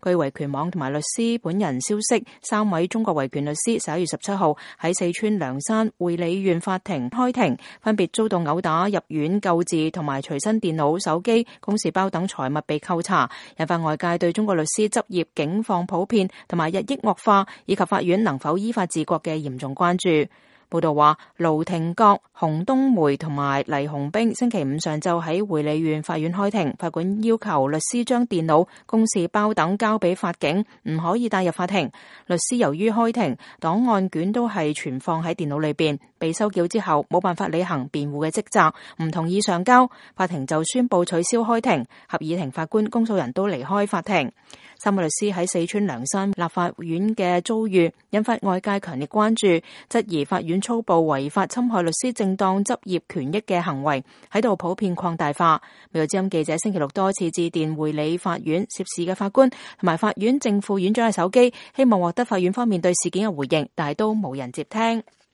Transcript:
據維權網同埋律師本人消息，3位中國維權律師11月17號喺四川涼山會理縣法庭開庭，分別遭到毆打、入院救治同埋隨身電腦、手機、公事包等財物被扣查，引發外界對中國律師執業境況普遍同埋日益惡化，以及法院能否依法治國嘅嚴重關注。報道話，盧廷國、洪冬梅同埋黎紅兵星期五上晝喺會理縣法院開庭，法官要求律師將電腦、公事包等交俾法警，唔可以帶入法庭。律師由於開庭檔案卷都係存放喺電腦裏邊，被收繳之後冇辦法履行辯護嘅職責，唔同意上交，法庭就宣布取消開庭，合議庭法官、公訴人都離開法庭。3位律師喺四川涼山立法院嘅遭遇引發外界強烈關注，質疑法院粗暴違法侵害律師正當執業權益嘅行為喺度普遍擴大化。美國之音記者星期六多次致電會理法院涉事嘅法官同埋法院正副院長嘅手機，希望獲得法院方面對事件嘅回應，但係都冇人接聽。